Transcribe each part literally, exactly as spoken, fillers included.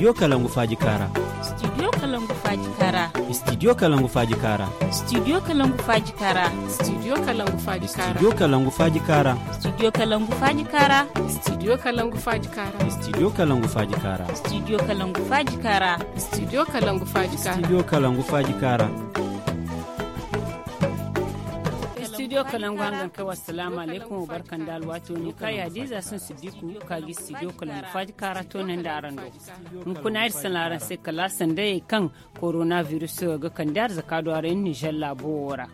Studio Kalangu Faaji Kaara. Studio Kalangu Faaji Kaara. Studio Kalangu Faaji Kaara. Studio Kalangu Faaji Kaara. Studio Kalangu Faaji Kaara. Studio Kalangu Faaji Kaara. Studio Kalangu Faaji Kaara. Studio Kalangu Faaji Kaara. Studio Kalangu Faaji Kaara. Studio Kalangu Faaji Kaara. Studio Kalangu Faaji Kaara. Studio Kalangu Faaji Kaara. Studio Kalangu hangan kai, wassalaamu alaykum, wa barka nda alwaati wo ne ka ya diiza sun Siddiku ka gi Studio Kalangu Faaji Kaara toonandi araŋ do. Hunkuna iri salaŋ araŋ se kala sandayey kaŋ koronavirus ga kande arzaka do araŋ Nizer laabo wo ra.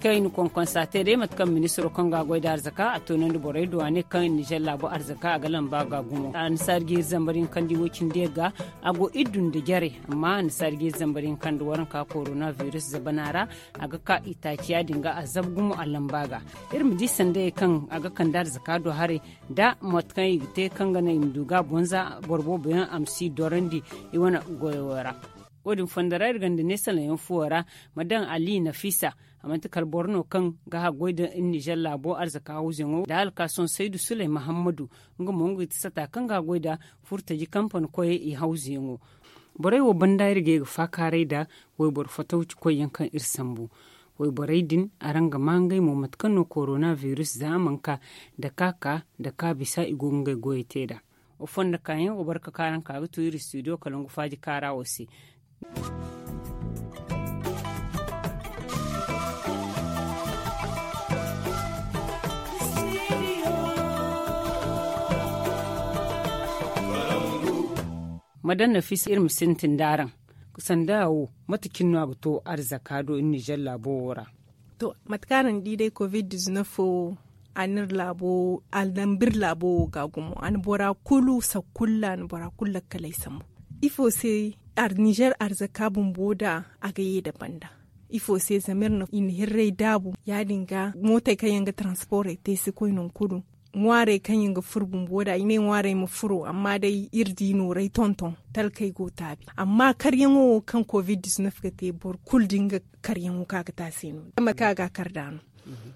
Kayna konkonsa te day mate kaŋ ministiro kaŋ ga a goy da arzaka a toonandi borey do a ne kaŋ Nizer laabo arzaka a ga lamba ga gumo. Annasaari ga iri zambar yaŋ kaŋ di woy cindi ga a go iri dun da jare. Amma annasaari ga iri zambar yaŋ kaŋ da waranka koronavirus zabana ra a ga ka itaaci ya- din ga a zabu gumo a lamba ga. Iri ma di sandayey kaŋ a ga kande arzaka do haray da mate kaŋ i ga te kaŋ ga naŋ i ma du ga bonza boro boobo yaŋ a ma si dorandi i wane goyo ra. Wo- din fondo ra iri gonda ne salaŋ yaŋ fuwo ra ma daŋ ali nafisa. A manti kala boro no kaŋ ga haggoy da nizer laabo arzaka hawzuyaŋo da alkaason saydu suley mahammadu. Nga mo nga ga ti sata kaŋ ga haggoy da furtaji kampani koyey i hawzuyaŋo. Borey wo banda iri ga ye ga faakaaray nda wayboro fatawci koyyaŋ kaŋ iri sambu. Wayborey din araŋ ga maa ngey mo mate kaŋ no koronavirus za a mana ka nda ka ka nda ka bisa i go ga ngey goyey te nd'a. Wa fondo kaayaŋ wa barka kaaraŋ ka ga to iri studio kalangu faaji kaara wo se. Madan nafisa iri ma sintin da araŋ sanda wo mate cine no a ga to arzaka do iri nizer laabo wo ra? To, mate kaŋ araŋ di day covid diznef wo a na iri laabo a na dambu iri laabo wo ga gumo a na bora kulu sakulla a na bora kulu lakkaley sambu. Ifo se nizer arzaka bumbo da a ga ye nda banda? Ifo se zama iri na hirray daabu ya- din ga mootey kaŋ yaŋ ga taransporey te si koy nangu kulu. Ŋwaarey kaŋ yaŋ ga furo bumbo da i ne ŋwaarey ma furo amma day iri di nooray tonton talkey go taabi amma karyaŋo wo kaŋ covid diznef ga te boro kulu da nga karyaŋo kaŋ a ga te a se no- ya mate kaŋ a ga a kar nd'a no.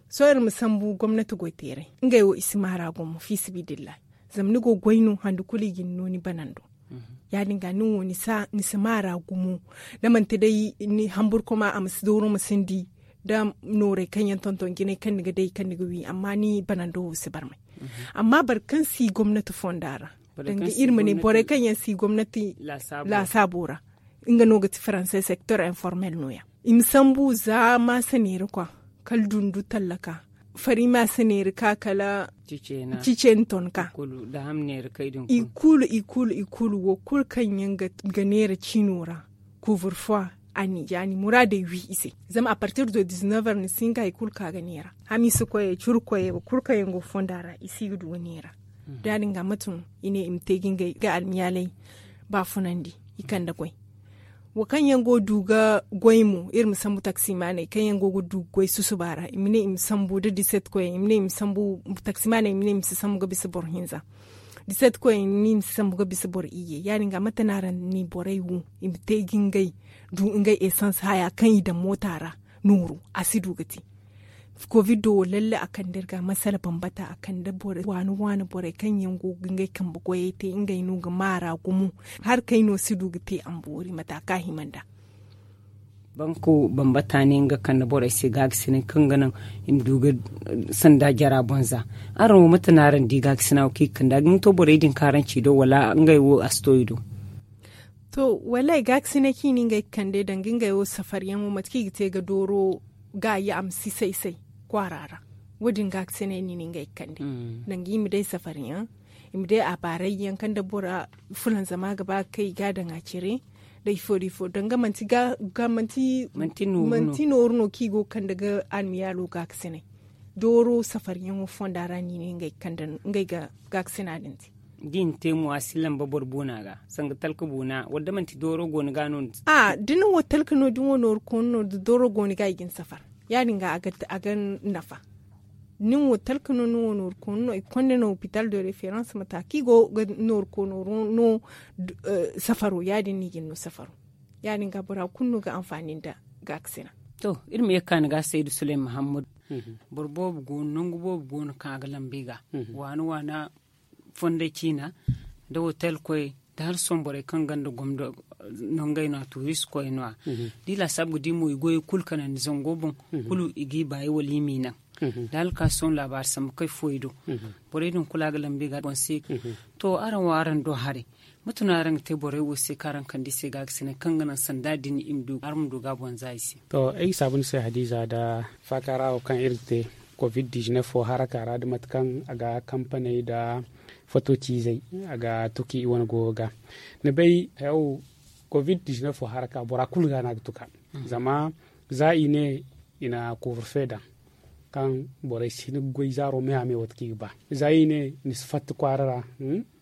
Sohõ iri ma sambu gomnati goyteeray ngey wo i si maara gumo fiisabilillahi. Zama ni go goy no handu kulu i ga ni no ni banando. Ya- din ga nin wo ni si maara gumo da manti day ni hamburkoma a ma si dooro ma sindi da nooray kaŋ yaŋ tonton jinay kaŋ ni ga day kaŋ ni ga wi amma ni banando wo si barmay. Amma boro kaŋ si gomnati fonda ra danga iri ma ne borey kaŋ yaŋ si gomnati laasaabo ra nga no ga ti faranse sektor informel no- ya i ma sambu za maasa neera kwa kala dundu tallaka fari maasa neera ka kala ciceeni ton ka i kulu i kulu wo kulu kaŋ yaŋ ga neera ciino ra. Kuuburfo a ni ya ni muraadey wi i se zama a partir de diznef heures ni si hin ka hari kulu ka ga neera hamiisa koyey curu koyey wo kulu kaŋ yaŋ go fonda ra i si ga du ga neera. Da ya- din ga mate no i ne i ma te ga ngey almiyaaley baafunandi i kande goy. Wo kaŋ yaŋ go ga du ga goy mo iri ma sambu taksimaaney kaŋ yaŋ go ga du ga goy susuba ra i ma ne i ma sambu da diset koyey i ma ne i ma sambu taksimaaney i ma ne i ma si sambu ga bisa boro hinza. Diset koyey i ma ne i ma si sambu ga bisa boro iyye ya- din ga mate no araŋ ni borey wo i ma te ga ngey du ngey esans haya kaŋ i daŋ moota ra nooru a si du ga te. Covid do wo lalle a kande iri ga masala bambata a kande waani waani borey kaŋ yaŋ go ga ngey kambe goyey te ngey no ga maara gumo. Hari kaŋ ay no si du ga te a ma boori mata kaŋ a hima nd'a. Banko bambata ne nga kande borey se gaagasinay kaŋ ga naŋ i ma du ga sanda jara boŋ za. Araŋ wo mate no araŋ di gaagasina wo kaŋ i ga kande a ga hin to borey din kaŋ araŋ ci do wala ngey wo a si to i do? To, wallaahi gaakasinay kaŋ i na ngey kande danga ngey wo safariyaŋo mate kaŋ i ga te ga dooro gaayi a ma si say-say kwaara ra. Wo- din gaakasinay no i na ngey kande danga i ma day safariyaŋ, i ma day abaarayyaŋ kaŋ da bora fulanzama ga ba ga kay i ga a daŋ a cire nda ifo nda ifo danga manti manti nooru no kaŋ i go ga kande ga almiyaalo gaakasinay. Dooro safariyaŋo fonda ra no i ne ngey ga gaakasina din te. Da i na te mo a si lamba boro boona ga sanga talka boona wala da manti dooro go ni ga no ni si? A da ni wo talka no da ni wo nooru kooni no da dooro go ni ga i ga ni safar. Ya- din ga a ga nafa. Nin wo talka no ni wo nooru kooni no i ga konda no hopital de reference mata kaŋ i go ga nooru kooni no safaro ya- din no i ga ni no safaro. Ya- din ga bora kulu no ga anfaani nda gaakasina. To, iri ma ye ga ka ni ga saydu suley mahammadu. Boro boobo go no nangu boobo go no kaŋ a ga lamba i ga waana waana fonday ciina da hotel koy. Da hala sohõ borey kaŋ gonda gomdo no ngey no a tuuristi koy no- ya. Da i laasaabu ga di mo i goyey kulu kanandi zango boŋ, kulu i g'i baayi wala i m'i naŋ. Da hala ka sohõ laabaari sambu kay fooyaŋ do, borey din kulu a ga lambu i ga boŋ se. To, araŋ wo araŋ do haray, mate no araŋ ga te borey wo se kaŋ araŋ kande i se ga ga sine kaŋ ga naŋ sanda din i ma du araŋ ma du ga boŋ za i se? To, ay ga saabu ni se hadiiza nda faaka ra wo kaŋ iri ga te, covid dizinef wo haraka ra nda mate kaŋ a ga kampaney nda fato ciizey a ga tuki i wane goyo ga. Ni bay, covid dizinef wo haraka bora kulu ga no a ga tuka. Zama za i ne i na kuurufe daŋ kaŋ borey si hin ga goy zaaro me a me wate kaŋ i ga ba. Za i ne ni si fatta kwaara ra,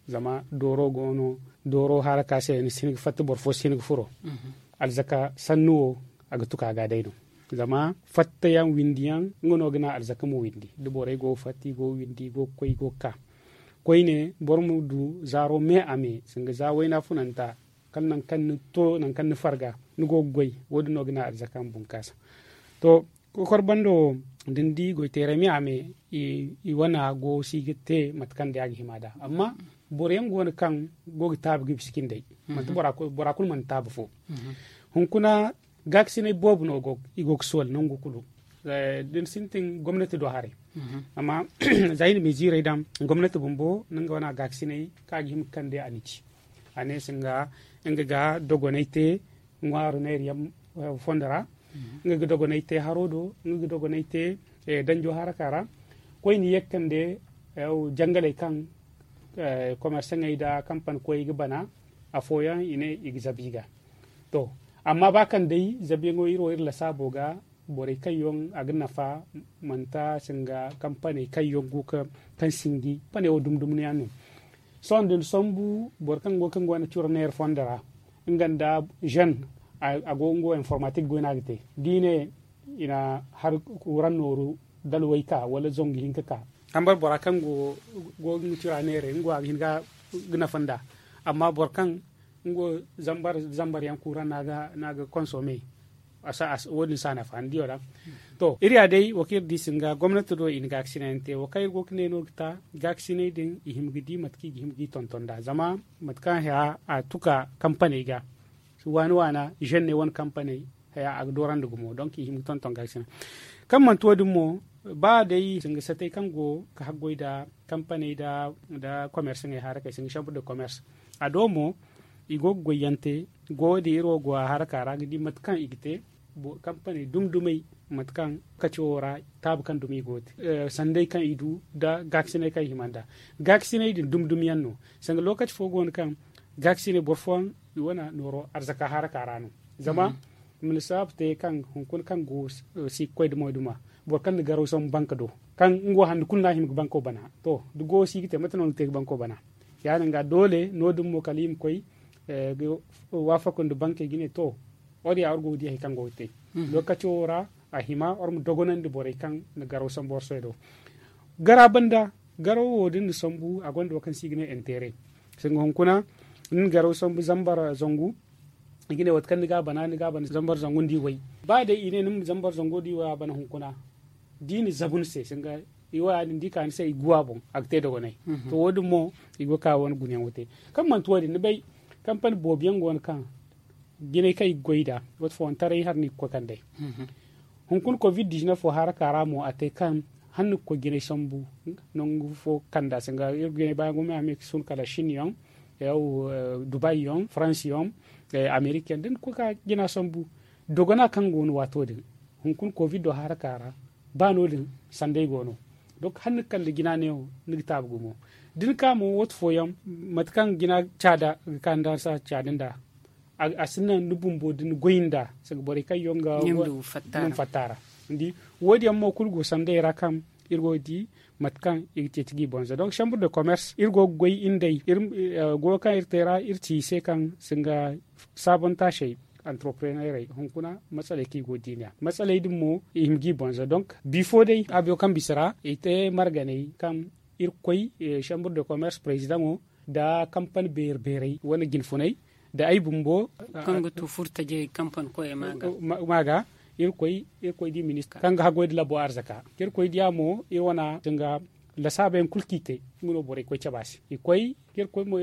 zama dooro go no, dooro haraka se ni si hin ga fatta boro fo si hin ga furo. Alzaka sannu wo, a ga tuka ga day no. Zama fattayaŋ windiyaŋ nga no ga naŋ alzaka ma windi da borey go ga fatta i go ga windi i go ga koy i go ga ka. Koyne boro ma du zaaro me a me sanga za wayna funanta, kala nangu kaŋ ni to nangu kaŋ ni farga ni go ga goy. Wo- din no ga naŋ alzaka ma bunkaasa. To, kokor bando wo, da ni di goyteeray me a me, i wana go si ga te mate kaŋ day a ga hima nd'a. Amma boro yaŋ go no kaŋ go ga taabi ga bisa cindey. Manti bora kulu mana taabi fo. Hunkuna gaakasinay boobo no i go ga sool nangu kulu. Da ni sintin gomnati do haray. Amma za i na miziirey daŋ, gomnati bumbo no nga wana gaakasinay kaŋ a ga hima ga kande a na ci. A ne se nga ga dogonay te ŋwaaru neera yaŋ fondo ra. Nga ga dogonay te haro do, nga ga dogonay te danjo haraka ra. Koyne ye ga kande jangaley kaŋ komersaŋey nda kampani koyey ga bana. Afooyaŋ i ne i ga zabi ga. To, amma ba kaŋ day zabiyaŋo iri wo iri lasaabo ga, borey kaŋ yaŋ a ga nafa, manti singa kampaney kaŋ yaŋ go ga kaŋ sinji kampaney wo dumdumniyaŋ no. Sohõ da ni sambu boro kaŋ go kaŋ go na curo neera fondo ra, nga nda zen a go nga wo informatik goy no a ga te. Da i ne i na hari kuran nooru dalway ka wala zangu hinka ka. Zambar bora kaŋ go ga cura neeray nga wo a ga hin ga nafa nd'a. Amma boro kaŋ nga wo zambar yaŋ kuran no a ga konsome. Wo- din si a nafa ni diyo ra. To, iri ya day wo kaŋ iri di singa gomnati do i na gaakasinay yaŋ te wo kaŋ iri go ga ne no ga ta gaakasinay din i hima ga di mate kaŋ i ga hima ga i tonton nd'a zama mate kaŋ haya a tuka kampaney ga. Waana waana zen ne wane kampaney haya a ga doorandi gumo donk i hima ga tonton gaakasinay. Kaŋ manti wo- din mo, ba day singa satey kaŋ go ga haggoy nda kampaney nda komersaŋey harakey singa chambre de commerce. A do mo i go ga goyyaŋ te. Go wo din iri wo go a haraka ra ga di mate kaŋ i ga te. Kampaney dumdumey mate kaŋ lokaci wo ra taabu kaŋ dumi i go ga te, sanday kaŋ i du nda gaakasinay kaŋ i hima nd'a. Gaakasinay din dumdumyaŋ no. Sanga lokaci fo go no kaŋ gaakasinay boro fooyaŋ i wane nooro arzaka haraka ra no. Zama ma ni saabu te kaŋ hunkuna kaŋ go si ga koy da moyduma boro kaŋ na garaw sambu banka do kaŋ nga wo handi kulu no a hima ga banko bana. To, da goyo si ga te mate no ni ga te ga banko bana? Ya- din ga doole no- din mo kala i ma koy ga waafaku nda bankey ga ne to, wo- din ya war go ga di hari kaŋ go ga te. Lokaco wo ra a hima war ma dogonandi borey kaŋ na garaw sambu war se do. Gara banda garaw wo da ni na sambu a gonda wo kaŋ se i ga ne intere. Sanga hunkuna ni na garaw sambu zambar zangu, i ga ne waati kaŋ ni ga a bana ni ga a bana zambar zangu nda i way. Ba day i ne ni ma zambar zangu nda i way a bana hunkuna da i na zabu ni se sanga i way a din da i ka ni se i guwa boŋ a ga te dogonay. To wo- din mo i go ga ka wane gunayaŋo te. Kaŋ manti wo- din ni bay kampani boobo yaŋ go no kaŋ jinay kaŋ i ga goy nd'a waati fooyaŋ taray hari no i ga koy kand'ey. Hunkuna covid dizinef wo haraka ra mo a te kaŋ hala ni ga koy jinay sambu nangu fo kanda se nga iri ga jinay baayaŋ gumo a me ga sun kala shin yaŋ, dubai yaŋ, faransi yaŋ, amerik yaŋ da ni ga koy ga jina sambu. Dogona kaŋ go no waato din hunkuna covid do haraka ra ba no- din sanday go no. Donk hala ni ga kala jina neewo ni ga taabu gumo. Da ni ka mo waati fooyaŋ mate kaŋ jina caada ga ka ni daŋ sa caada nd'a a si naŋ ni bumbo da ni goy nd'a sanga borey kaŋ yaŋ ga fatta ra. Ni di wo- din yaŋ mo kulu go sanday ra kaŋ iri go ga di mate kaŋ i ga ceeci ga i bonza donk chambre de commerce iri go ga goy iri nd'ey. Goyo kaŋ iri te ra iri ci i se kaŋ singa saabontaasey antropreneerey hunkuna matsaley kaŋ i go ga di ne ya matsaley din mo i hima ga i bonza donk bifo day abiyo kaŋ bisa ra i te marganey kaŋ iri ga koy chambre de commerce prezidaŋo nda kampani beeri beerey wane jinfunay nda ay bumbo kaŋ ga tu furtajey kampani koyey ma ga iri koy iri koy di minista kaŋ ga haggoy nda labo arzaka iri koy diya mo iri wana singa Lasaabey yaŋ kulu kaŋ i te, nga no borey koy cabe a se. I koy ka iri koy mo,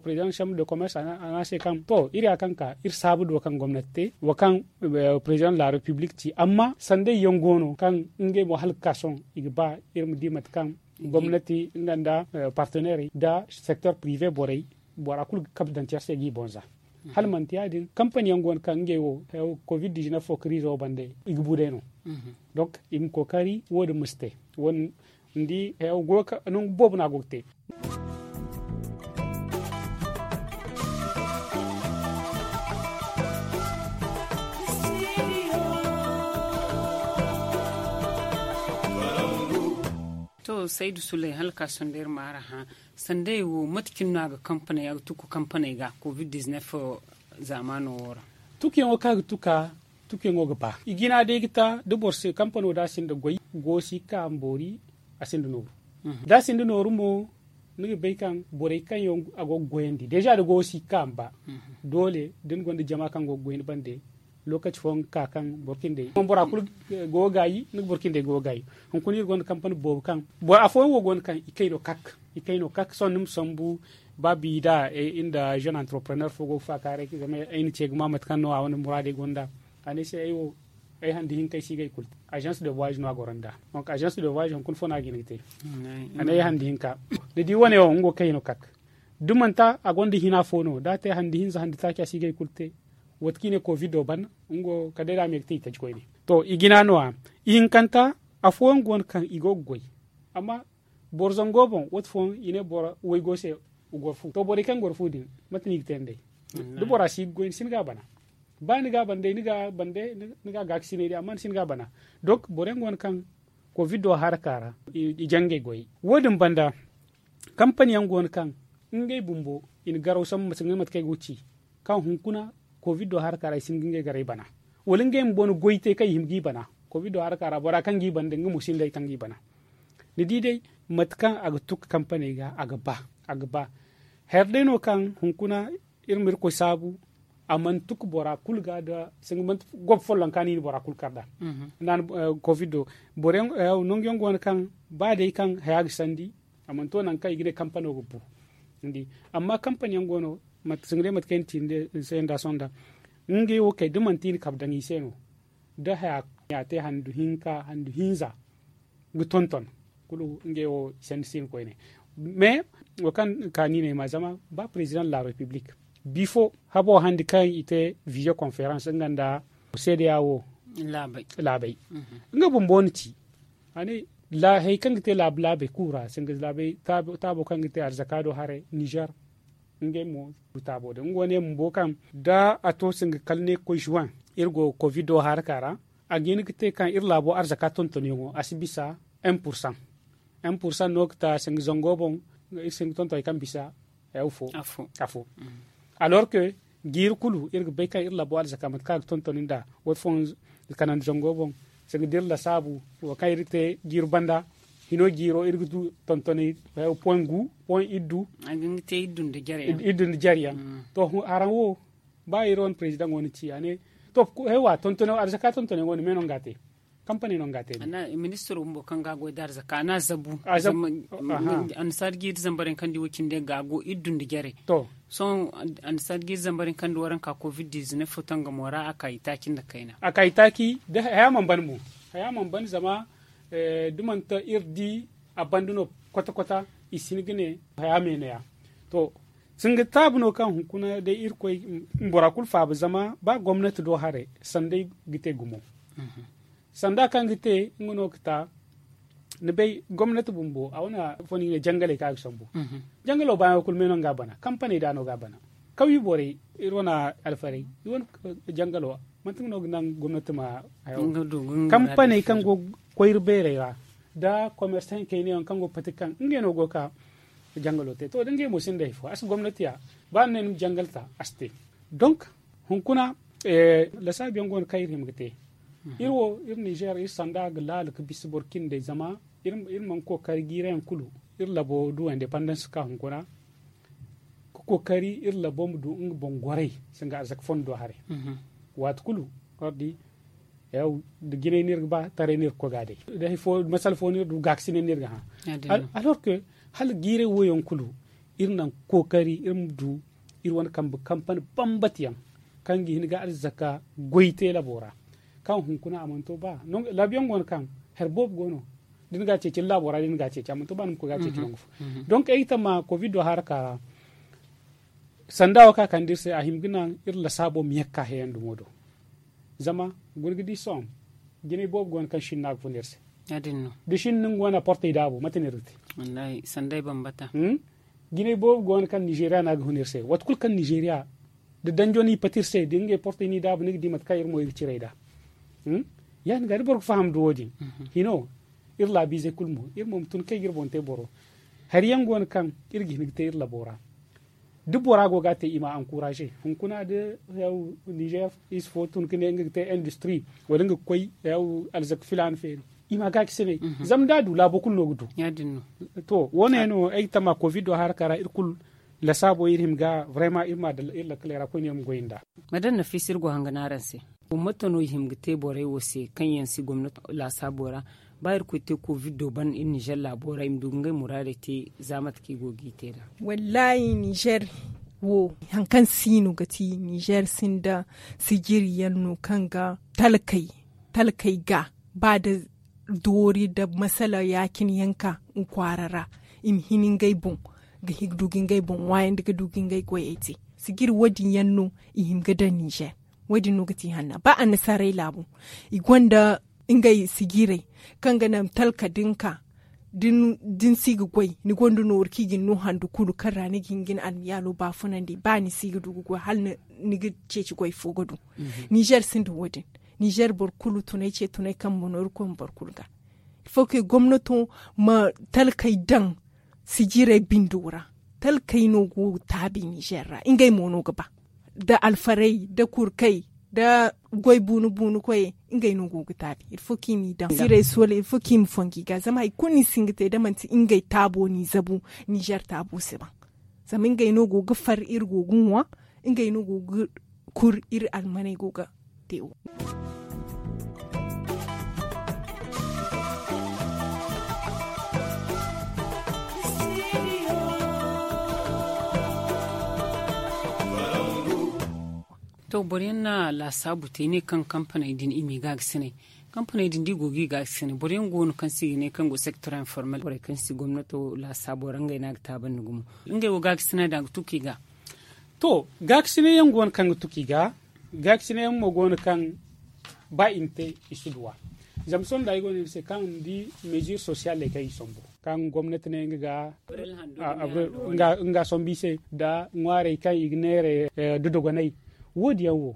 président chambre de commerce a ne a se kaŋ to iri ya kaŋ ka iri saabu do kaŋ gomnati te wo kaŋ président de la république ci amma sanday yaŋ go no kaŋ ngey mo hala ga ka sohõ i ga ba iri ma di mate kaŋ gomnati nga nda partenairey nda secteur privé borey bora kulu ga kabe daŋ care se ga i boŋ za. Hala manti ya- din kampani yaŋ go no kaŋ ngey wo covid dix-neuf wo kariizo wo bande i ga bu day no. Donc i ma kookari wo- din ma si te. Wo- din ni di nangu boobo no a go ga te. To saydu sulay hala ka sondey iri ma araŋ hã. Sanday wo mate cine no a ga kampaney a ga tukku kampaney ga covid dix-neuf zaamaano wo ra? Tukuyaŋo kaŋ a ga tuka tukuyaŋo ga ba i jina day ga ta da boro si kampano da a sinda goy go si ga ka ma boori. A sinda nooru da a sinda nooru mo ni ga bay kaŋ borey kaŋ yaŋ a go ga goyandi deeza da goyo si ga ka ma ba. Doole da ni gonda jama kaŋ go ga goy ni bande lokaci fooyaŋ ga ka kaŋ boro cindey bora kulu go ga gaayi ni ga boro cindey go ga gaayi. Hunkuna iri gonda kampani boobo kaŋ boro afooyaŋ wo go no kaŋ i kay no kak i kay no kak sohõ ni ma sambu ba bi da iri nda jeune entrepreneur fo go ga faakaaray zama ay na ce ga ma mate kaŋ no a wane muraadey gonda. A ne ay se ay wo ay handi hinka ay si ga ay kulu te. Agence de voyage no a goro nd'a. Donc agence de voyage hunkuna fo no a ga hin ga te. A ne ay handi hinka ni di wane wo nga wo kay no kak da manti a gonda hina fo no da a te handi hinza handi taaci a si ga ay kulu te. Wate kaŋ i ne kovido ban nga wo kala day da a me ga te i taji koyne. To i jina no- ya ihinkanta afooyaŋ go no kaŋ i go ga goy. Amma boro zango boŋ wate fooyaŋ i ne boro waygo se. Goro fu to borey kaŋ goro fu din mate no i ga te nd'ey? Da bora si ga goy ni si ni ga a bana. Ba ni ga a bana day ni ga a gaakasinay day amma ni si ni ga a bana. Donc boro yaŋ go no kaŋ kovido haraka ra i jangay goyey wo- din banda kampani yaŋ go no kaŋ ngey bumbo i na garaw sambu mate ngey mate kaŋ ay go ga ci kaŋ hunkuna kovido haraka ra i si hin ga ngey garay bana. Wala ngey bumbo na goy te kaŋ i hima g'i bana. Kovido haraka ra bora kaŋ g'i bana din nga mo sinda hari kaŋ g'i bana. Ni di day mate kaŋ a ga tuku kampaney ga a ga ba. A ga ba. Hari day no kaŋ hunkuna iri ma irkoy saabu a mana tuku bora kulu ga da singa manti gob follonka no i na bora kulu kar nd'a. Nda a na kovido boro yaŋ nangu yaŋ go no kaŋ ba day kaŋ haya ga sandi a mana to nangu kaŋ i ga ne kampano ga bu. Ni di amma kampani yaŋ go no singa day mate kaŋ ay na ci ni se nda sohõ nda ngey wo kay da manti i na kabe daŋ i se no. Da haya te handu hinka handu hinza ga tonton kulu ngey wo i sanni si hin koyne. Mais wo kaŋ ka ni ne ay ma zama ba président de la république bifo habo handi kaŋ i te visioconférence nga nda seedeya wo laabay nga bumbo na ci. A ne hari kaŋ ga te laabu laabey kulu ra singa laabey taabo kaŋ ga te arzaka do haray niger. Ngey mo taabo din nga wane bumbo kaŋ da a to singa kala ne ga koy juin iri go kovido haraka ra. A ga hin ga te kaŋ iri laabo arzaka tontonyaŋo a si bisa un pour cent. Un pour cent no ga ta singa zango boŋ iri singa tonton hari kaŋ bisa afo. Alors que jiiri kulu iri ga bay kaŋ iri laabo arzaka mate kaŋ a ga tonton nd'a wate fooyaŋ kanandi zango boŋ. Singa da iri lasaabu wo kaŋ iri ga te jiiri banda hino jiiro iri ga du tontonay point gu point iddu. Iddu nda jare yaŋ to haraŋ wo ba iri wane président wo na ci a ne to haywa tontonay wo arzaka tontonay wo ni me no nga te. Kampani no nga te ministro bumbo kaŋ ga goy da arzaka a na zabu. Annasaari jiiri zambar yaŋ kaŋ di wo cinde ga go iddu nda jare. To sohõ annasaari jiiri zambar yaŋ kaŋ di waranka covid dix-neuf fo tangamo ra a ka itaaci nda kayna. A ka itaaci da haya mana ban mo. Haya mana ban zama da manti iri di a banda no kwata kwata i si hin ga ne haya me no ya. To singa taabu no kaŋ hunkuna day irkoy bora kulu faaba zama ba gomnati do haray sanday ga te gumo. Sanda kaŋ ga te nga no ga ta ni bay gomnati bumbo a wane afo no i ne jangaley kaŋ a ga sambu. Jangalo baayaŋo kulu me no nga a bana kampaney da no ga a bana. Kawye borey iri wane alfarey i wane jangalo manti nga no ga naŋ gomnati ma hayo. Kampaney kaŋ go ga koyri beerey ra da commerçant kayna yaŋ kaŋ go ga pati kaŋ ngey no go ga ka jangalo te to da ngey mo sinda hari fo a si gomnati ya. Ba ni ne ni ma jangal ta a si te. Donc hunkuna lasaabu yaŋ go no kaŋ iri hima ga te. Iri wo iri niger iri sanda ga laala ga bisa boro cindey zama iri mana kookari jiirayaŋ kulu iri labo du indépendance ka hunkuna ga kookari iri labo ma du nga boŋ goray singa arzaka fondo haray. Waati kulu ordi Yaw, da jinay no iri ga ba, taray no iri ga koy ga a day. Da hay fo masala fo no iri du, gaakasinay no iri ga hã. Alors que hala jiiray wo yaŋ kulu, iri naŋ kookari iri ma du iri wane kambe kampani bambata yaŋ, kaŋ ga hin ga arzaka goy te laabo ra, kaŋ hunkuna a mana to ba. Laabu yaŋ go no kaŋ hari boobo go no, da ni ga a ceeci ni laabo ra, da ni ga a ceeci a mana to ba ni ma koy ga a ceeci nangu fo. Donc ay ga tamma covid do haraka ra, sanda wo kaŋ a kande iri se, a hima ga naŋ iri lasaabo ma ye ga ka heyaŋ dumo do. Zama guna ga di sohõ, jinay boobo go no kaŋ sinna ga fun iri se. Da sinna no nga wane portey daabu, mate no iri ga te? Jinay boobo go no kaŋ nizeeriya no a ga hun iri se, waati kulu kaŋ nizeeriya da danjo no i pati iri se, da ngey portey no i daabu, ni ga di mate kaŋ iri mo iri ga cire nd'a. Ya- din ga da boro ga faham nda wo- din, hino, iri laabiizey kulu mo, iri mo ma tun kaŋ i ga iri boŋ te boro. Hari yaŋ go no kaŋ iri ga hin ga te iri labo ra. Da bora go ga a te, i ma a encourager. Hunkuna da, yaw, nizer ize fo tun ga ne nga ga te industry, wala nga ga koy, yaw, alzak filaana feeri, i ma gaacisinay. Zama da a du, laabo kulu no ga du. To, wo- ne no ay ga tamma covid do haraka ra, iri kulu lasaabo iri hima ga vraiment iri ma a daŋ iri lakkaley ra koyne iri ma goy nd'a. Ma daŋ nafiisa, iri go hanga no araŋ se. Gomnato no i hima ga te borey wo se kaŋ yaŋ si gomnato laasaabo ra? Ba irkoy te covid do ban iri nizer laabo ra, i ma du ga ngey muraadey te za mate kaŋ i go ga i te nd'a. Wallaahi, nizer wo, hari kaŋ si no ga ti nizer sinda sijiri yaŋ no kaŋ ga talkey talkey ga ba da doori nda masala ya- cine yaŋ ka nga kwaara ra, i ma hin ngey boŋ ga hin ga du ga ngey boŋ ŋwaayandi ga du ga ngey goyey te. Sijiri wo- din yaŋ no i hima ga daŋ nizer. Wo- din no ga ti hanna ba annasaarey laabu, i gonda ngey sijirey kaŋ ga naŋ talka da ni ka da ni si ga goy, ni gonda nooru kaŋ i ga ni no handu kulu kaŋ ra ni ga hin ga ni almiyaalo baafunandi ba ni si ga du ga goy hala ni ga ceeci goy fo ga du. Nizer sinda wo- din. Nizer boro kulu tunay ce tunay kambe no iri koy ma boro kulu ga. Ilfo ke gomnato ma talkey daŋ sijirey bindo ra. Talkey no go ga taabi nizer ra, ngey mo no ga ba. Da alfarey da kurkey da goy buunu buunu koyey, ngey no go ga taabi. Ilfo kaŋ i m'i daŋ sijirey soola, ilfo kaŋ i ma fongu i ga zama hari kulu no i si hin ga te da manti ngey taabo n'i zabu. Nizer taabo si ban. Zama ngey no go ga far iri go ga ŋwa. Ngey no go ga kur iri almaney go ga te wo. To, boro yaŋ na laasaabu te i ne kaŋ kampaney din i m'i gaagasinay. Kampaney din da i go ga i gaagasinay, boro yaŋ go no kaŋ se i ga ne kaŋ go sector informel, borey kaŋ si gomnato laasaabo ra ngey no a ga taabandi gumo. Ngey wo gaagasinay din a ga tuku i ga. To, gaakasinay yaŋ go no kaŋ ga tuku i ga. Gaakasinay yaŋ mo go no kaŋ ba i ma te, i si duw'a. Zama sohõ da ay go no ni se kaŋ ni di mesure socialey kaŋ i sombu, kaŋ gomnati ne nga ga nga sombu i se nda ŋwaarey kaŋ i ga neera da dogonay. Wo- din yaŋ wo,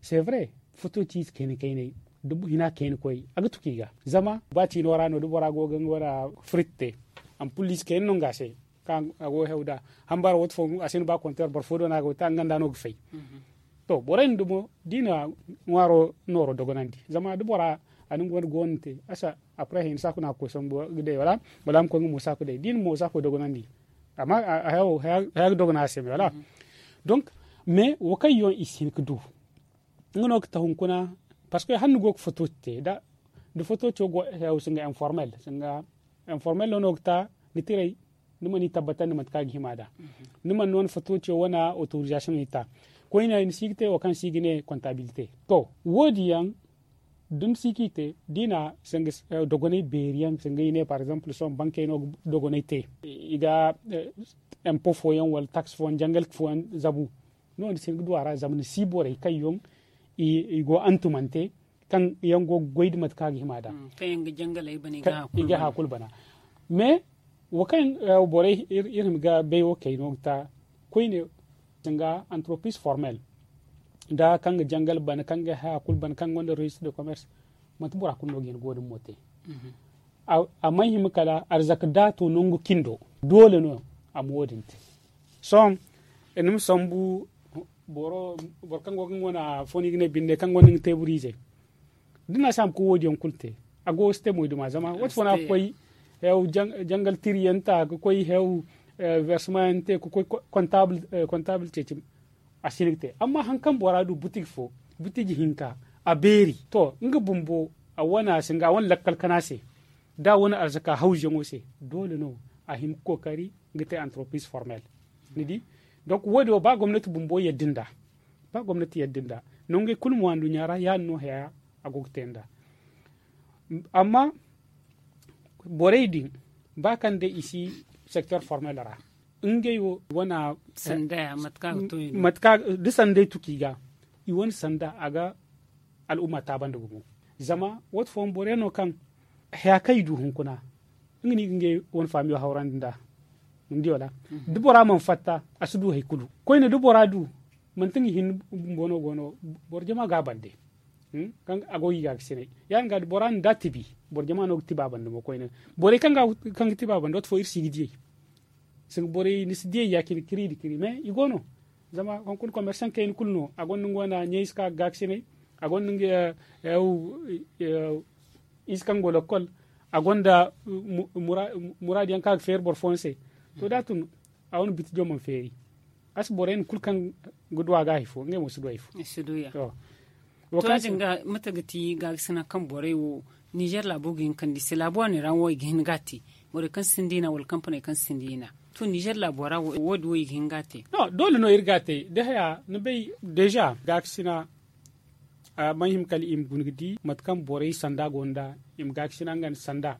c'est vrai, foto ciize kayna kaynay da hina kayna koy a ga tuku i ga. Zama ba ciino ra no da bora go ga nga wane frit te, ampuliize kayna no nga se. Kaŋ a go hew da hambara wate fo a si no ba konteer boro fo do no a go te a nga nda no ga fay. To, borey din dumo da i na ŋwaaro nooro dogonandi zama da bora a na nga wane goono te a si après hayni saaku no a ga koy sambu ga day wala a ma koy nga mo saaku day da i na mo saaku dogonandi. Amma haya ga dogona a se me wala. Donc, mais wo kaŋ yaŋ i si hin ga du nga no ga ta hunkuna. Parce que hala ni go ga foto te da foto te go hew singa informel singa informel no no ga ta ni tiray. Ni mana i tabbatandi mate kaŋ a ga hima da ni mana no ni foto ce wane autorisation i ta. Koyne ni si ga te wo kaŋ si ga ne comptabilité. To, wo- din yaŋ da ni si ga i te da i na singa dogonay beeri yaŋ singa i ne par exemple sohõ bankey no ga dogonay te i ga impo fooyaŋ wala tax fooyaŋ jangal fooyaŋ zabu. No ni si ga du a ra zama ni si borey kaŋ yaŋ i go antumante kaŋ yaŋ go ga goy nda mate kaŋ a ga hima da. I ga haya kulu bana. Mais wo kaŋ borey iri hima ga bay wo kay no ga ta koyne singa entreprise formel da kaŋ ga jangal bana kaŋ ga haya kulu bana kaŋ gonda registre de commerce. Manti bora kulu no ga hin ga wo- din mo te. A mana hima kala arzaka da a to nangu kindo doole no a ma wo- din te. Sohõ ni ma sambu boro kaŋ go ga nga wane fo no i ga ne binde kaŋ gonda nga teebur ize. Da ni na si a ma koy wo- din yaŋ kulu te a go ga si te moyduma zama wate fo no a ga koy jangal tiri yaŋ ta ga koy hew versement yaŋ te ga koy comptable ceeci. A si hin ga te amma hari kaŋ bora du butigi fo butigi hinka a beeri to nga bumbo a wane lakkal kana se da a wane arzaka hawzuyaŋo se doole no a hima ga kookari ga te antropiz formel. Ni di? Donk wo- din wo ba gomnati bumbo yadda nd'a ba gomnati yadda nd'a nangey kulu mo anduɲɲa ra ya- din no haya a go ga te nd'a. Amma borey din ba kaŋ day i si sektor formel ra ngey wo wana mate kaŋ a ga to i no da sanday tuku i ga i wane sanda a ga al'umma taabandi gumo. Zama waati fooyaŋ boro yaŋ no kaŋ haya kaŋ i du hunkuna nga no i ga ngey wane faamiyo hawrandi nd'a. Ni di wala? Da bora mana fatta a si du hari kulu koyne da bora du manti nga hinne bumbo no go no boro jama ga a bande. Kaŋ a go ga i gaakasinay ya- din ga da bora na da tibi boro jama no ga tiba bande mo koyne. Borey kaŋ ga tiba bande waati fo iri si ga diyey. Sanga borey ni si diyey ya- cine kiri nda kiri mais i go no. Zama hunkuna komersaŋ kayna kulu no a gonda nga wane ɲayze kaŋ a ga gaakasinay a gonda nga ize kaŋ go lakkol a gonda muraadu yaŋ kaŋ a ga feeri boro fooyaŋ se. To da a tun a wane bitijo mana feeri. A si borey no kulu kaŋ ga du a ga hari fo ngey mo si du hari fo. To ya- din ga mate ga ti gaakasina kaŋ borey wo ninzeer laabo ga hin ga kande i se laabu waani ra wo i ga hin ga a te. Borey kaŋ sinda i na wala kampaney kaŋ sinda i na to ninzeer laabo ra wo- din wo i ga hin ga a te. Doole no iri ga a te da haya ni bay deeza gaakasina. Mana hima kala i ma guna ga di mate kaŋ borey sanda go nd'a i ma gaakasina nga nda sanda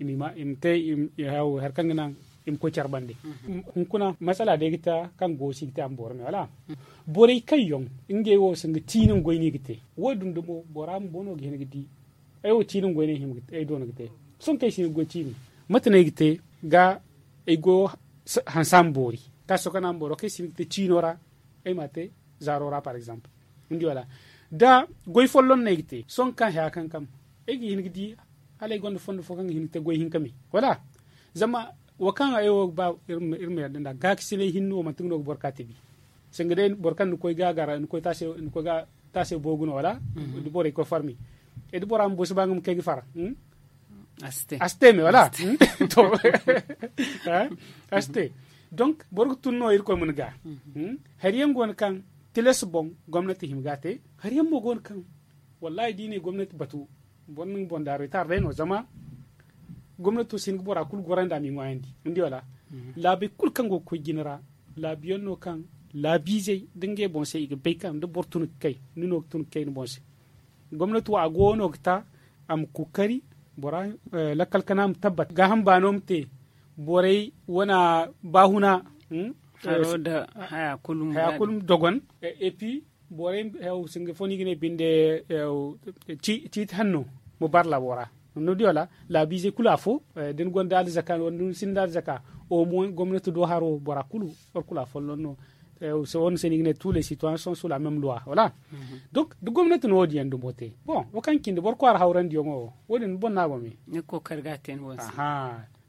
i ma te hari kaŋ ga naŋ i ma koy care bande. Hunkuna masala day ga ta kaŋ go si ga te a ma boro me wala borey kaŋ yaŋ ngey wo sanga ciini nga goy no i ga te. Wo- din dumo bora bumbo no ga hin ga di ay wo ciini nga goy no ay do no ga te. Sohõ kaŋ ay si hin ga goy ciini mate no ay ga te ga ay goyo hanse a ma boori. Kaŋ a si to kaŋ a ma boori wo kaŋ ay si hin ga te ciino ra ay m'a te zaaro ra par exemple. Ni di wala da goy folloŋ no ay ga te sohõ kaŋ haya kankam ay ga hin ga di hala ay gonda fondo fo kaŋ ga hin ga te goy hinka me wala. Zama wo kaŋ ay wo ga ba iri ma yadda nd'a gaakasinay hinne wo manti nga no ga boro ka tibi. Sanga day boro kaŋ ni koy ga a gara ni koy taasay boogu no wala da borey koy farmi. Da bora bumbo si ba nga ma kay ga fara. A si te me wala. To a si te. Donk boro ga tun no irkoy ma ni ga hari yaŋ go no kaŋ tilas boŋ gomnati hima ga a te. Hari yaŋ mo go no kaŋ wallahi da i ne gomnati batu boro na nga boŋ daaru itaara day no zama gomnato si hin ga bora kulu gorandi a m'i ŋwaayandi. Ni di wala? Laabey kulu kaŋ go ga koy jine ra laabu yaŋ no kaŋ laabiizey da ngey boŋ se i ga bay kaŋ da boro tun ga kay ni no ga tun ga kay ni boŋ se. Gomnati wo a go no ga ta a ma kookari bora lakkal kana ma tabbat gaaham baano ma te. Borey wana baahuna haro nda haya kulu ma dogon. Et puis borey singa fo no i ga ne binde ciiti hanno ma bar laabo ra. Ni di wala laabiizey kulu afo da ni gonda alzaka wala da ni sinda alzaka au moins gomnati do haro bora kulu boro kulu afolloŋ no. Sohõ ni se no i ga ne tous les citoyens sont sous la même loi wala. Donc da gomnati na wo- din yaŋ dumo te bon wo kaŋ cindi boro kwaara hawrandiyaŋo wo wo- din ni boŋ no a go me. Ni ga kookari ga a te ni boŋ se.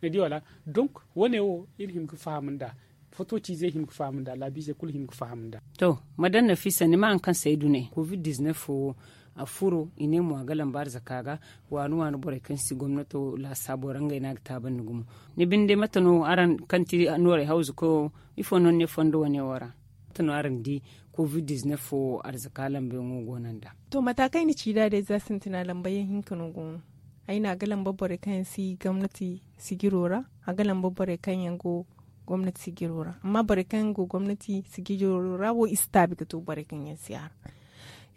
Ni di wala? Donc wo- ne wo iri hima ga faham nd'a. Foto ciizey hima ga faham nd'a laabiizey kulu hima ga faham nd'a. To madame nafisa ni ma hari kaŋ se ay du ne covid diznef wo a furo i ne mo a ga lamba arzaka ga. Waani waani borey kaŋ si gomnato laasaabo ra ngey no a ga taabandi gumo. Ni binde mate no araŋ kaŋ ti noorey hawzu koyo ifo no ni ne fondo wane wo ra? Mate no araŋ di covid diznef wo arzaka lambayaŋo go no nd'a? To mata kaŋ ay na ci nd'a day za sintina lambayaŋ hinka no go no. Ay ne a ga lamba borey kaŋ yaŋ si gomnati sijiro ra a ga lamba borey kaŋ yaŋ go gomnati sijiro ra amma borey kaŋ yaŋ go gomnati sijiro ra wo i si taabi ga to borey kaŋ yaŋ si a ra.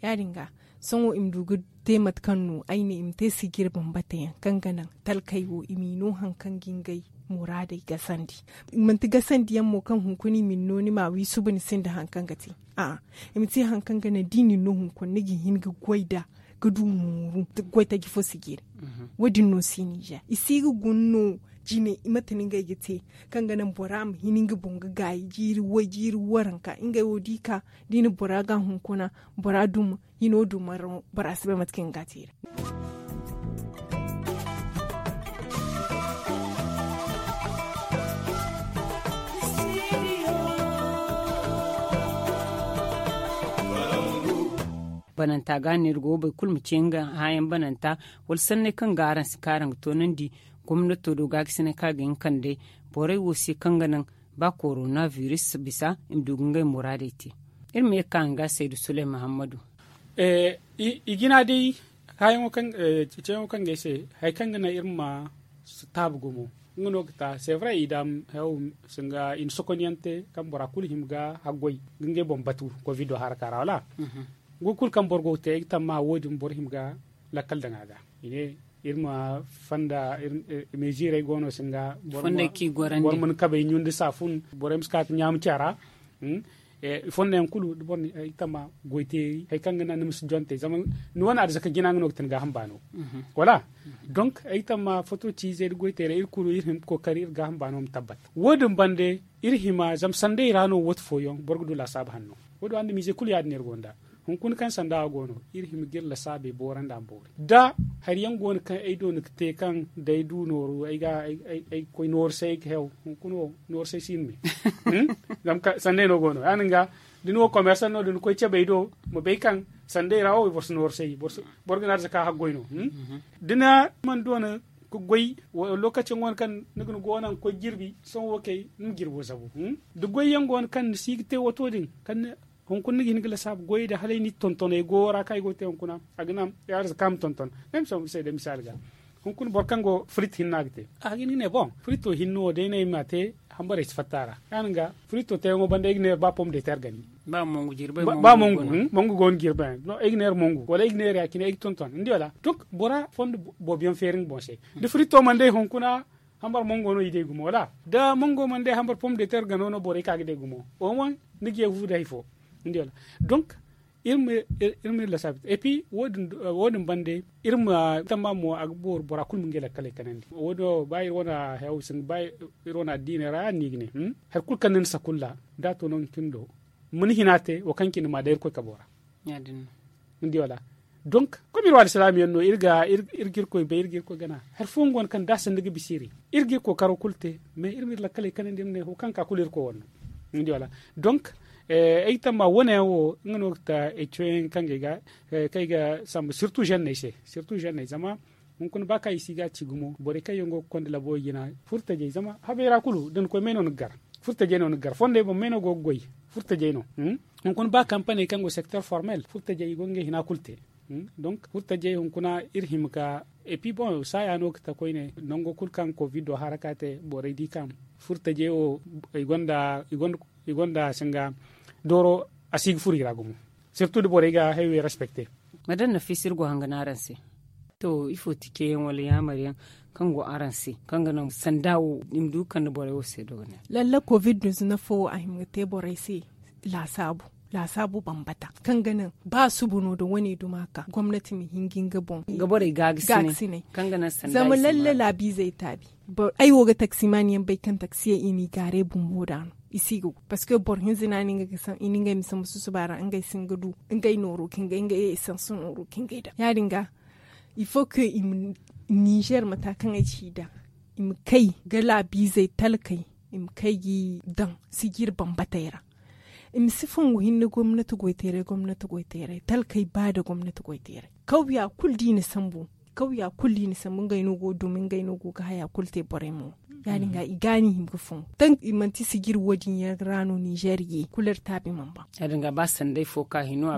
Ya- din ga sohõ i ma du ga te mate kaŋ no ay ne i ma te sijir bambata yaŋ kaŋ ga naŋ talkey wo i m'i no hari kaŋ ga ngey muraadey gasandi. Manti gasandi yaŋ mo kaŋ hunkuna i ma ni no ni ma wi suba ni sinda hari kaŋ ga te. A'a i ma te hari kaŋ ga naŋ da i na ni no hunkuna ni ga hin ga goy nd'a ga du mooru goy taji fo sijiri. Wo- din no si ninzeer i si ga guna no jine mate no ngey ga te kaŋ ga naŋ bora ma hin nga boŋ ga gaayi jiiri way jiiri waranka ngey wo da i ka da i na bora ga hunkuna bora duma hino duma ra bora si bay mate kaŋ ga te i ra. Bananta ga neera go boro kulu ma ce nga hããyaŋ bananta wala sanney kaŋ ga araŋ si ka araŋ ga toonandi gomnato do gaakasinay kaŋ a ga hin kande borey wo se kaŋ ga naŋ ba korona biris bisa i ma du ga ngey muraadey te. Iri ma ye ga ka nga saydu suley mahammadu. I jina day, ceeyaŋo kaŋ ga ay se, hari kaŋ ga naŋ iri ma si taabu gumo. Nga no ga ta sevra i daama haw singa i na sokonyaŋ te kaŋ bora kulu hima ga haggoy ga ngey boŋ batu. Kovido haraka ra wala? Nga kulu kaŋ boro go ga te ay ga tamma wo- din boro hima ga lakkal daŋ a ga. I ne iri ma fonda meziirey go no singa boro mana kabey ɲundi saafun. Borey ma si ka ga ɲaama caara. Fonda yaŋ kulu da boro na ay tama goy teeri hari kaŋ ga naŋ ni ma si jonte zama ni wane arzaka jina nga no ga ti ni gaaham baano. Wala? Donk ay tama foto ciizey da goy teerey iri kulu iri hima ga kookari iri gaaham baano ma tabbat. Wo- din bande iri hima zama sanday ra no wate fooyaŋ boro ga du laasaabu hanno. Wo- din andumiize kulu ya- din no iri gonda. Hunkuna kaŋ sanda wo go no iri hima ga iri lasaabey boorandi a ma boori da hari yaŋ go no kaŋ ay do ni ga te kaŋ da ay du nooru ay ga ay koy nooru se ay ga hew hunkuna wo nooru se ay si ni me. Zama sanday no go no ya- din ga da ni wo komersan no da ni koy cabe ay do ma bay kaŋ sanday ra wo boro si nooru se ay boro ga ni arzaka haggoy no. Da ni mana doona ga goy lokaci yaŋ go no kaŋ ni ga ni go naŋ ga koy jirbi sohõ wo kay ni ma jirbo zabu. Da goy yaŋ go no kaŋ ni si ga te wato din kaŋ hunkuna ni ga hin ga lasaabu goyey da hala ay na i tonton ay goyo ra kaŋ ay go ga te hunkuna a ga naŋ ay arzaka ma tonton. Ay ma sohõ iri se day misaali ga hunkuna boro kaŋ go frit hinne a ga te a ga hin ga ne boŋ frito hinne wo day no ay ma a te. Hambarey si fatta a ra ya- din ga frito teeyaŋo banda ay ga neera ba pom de ter gani. Ba mongu jirbi ba mongu go no jirbi ay ga neera mongu wala ay ga neera ya- cine ay ga tonton ni di wala donk bora fondo boobo yaŋ feeri nga boŋ se. Da frito mana day hunkuna hambar mongo no i day gumo wala da mongo mana day hambar pom de ter gano no borey ka ga day gumo. Oman ni ga ye fu da hari fo ni di wala donk iri ma iri lasaabu et puis wo- din bande iri ma tamma mo a ga booru bora kulu ma ngey lakkaley kanandi wo- din ba iri wane hayaw sinda ba iri wane addiiney ra ya- din no i ga ne hari kulu kaŋ ni na sakulla da a to no ni cindi do ma ni hina te wo kaŋ cindi ma day irkoy kabo ra. Ni di wala donk, kulu iri wo alsilaami yaŋ no iri ga iri ga irkoy bay iri ga irkoy gana. Hari fooyaŋ go no kaŋ da a sanda ga bisa iri iri ga iri kookaro kulu te mais iri ma iri lakkaley kanandi iri ma ne ho kaŋ ga ka kulu irkoy wane no. Ni di wala donk ay ga tamma wane yaŋ wo nga no ga ta ay coyaŋ kaŋ ga ay ga samba sirtu zenney se sirtu zenney zama hunkuna ba kaŋ i si ga a ci gumo borey kaŋ yaŋ go ga konda labo jina furtajey zama habey ra kulu da ni koy may no ni ga gar furtajey no ni ga gar fondey boŋ may no go ga goy furtajey no. Hunkuna ba kampaney kaŋ go secteur formel furtajey i go ga ngey hina kulu te. Donk furtajey hunkuna iri hima ga et puis boŋ saaya no ga ta koyne nango kulu kaŋ kovido haraka te borey di kaŋ furtajey wo i gonda i gonda singa dooro a si ga furo i ra gumo. Sirtu da borey ga haywe respecte. Madame nafisa iri go hanga no araŋ se. To ifo ti ceeyaŋ wala yaamar yaŋ kaŋ go araŋ se kaŋ ga naŋ sanda wo i ma du ga kande borey wo se dogonay? Lalla covid diznef wo a hima ga te borey se laasaabu laasaabu bambata kaŋ ga naŋ ba suba no da wane duma ka gomnati ma hin ga nga boŋ ga borey gaagasinay kaŋ ga naŋ sanda zama lalle laabiizey taabi. Ay wo ga taksimaani yaŋ bay kaŋ taksiyey i n'i gaaray bumbo da no i si ga go parceque boro hinza no a ne ngey ma sambu susuba ra ngey si hin ga du ngey nooro kaŋ ga ngey esans nooro kaŋ ga ngey daŋ ya- din ga. Il faut que i ma nizer mata kaŋ ay ci da i ma kay ga laabiizey talkey i ma kay ga i daŋ sijiri bambatey ra. I ma si fongu hinne gomnati goyteeray gomnati goyteeray talkey ba da gomnati goyteeray kawya kulu da i na sambu kawya kulu da i na sambu ngey no go ga dumi ngey no go ga haya kulu te borey mo. Ya- din ga i ga no i hima ga fongu taŋ i manti sijiri wo- din yaŋ ra no nizer ye kulu iri taabi mana ba. Ya- din ga ba sanday fo ka hino a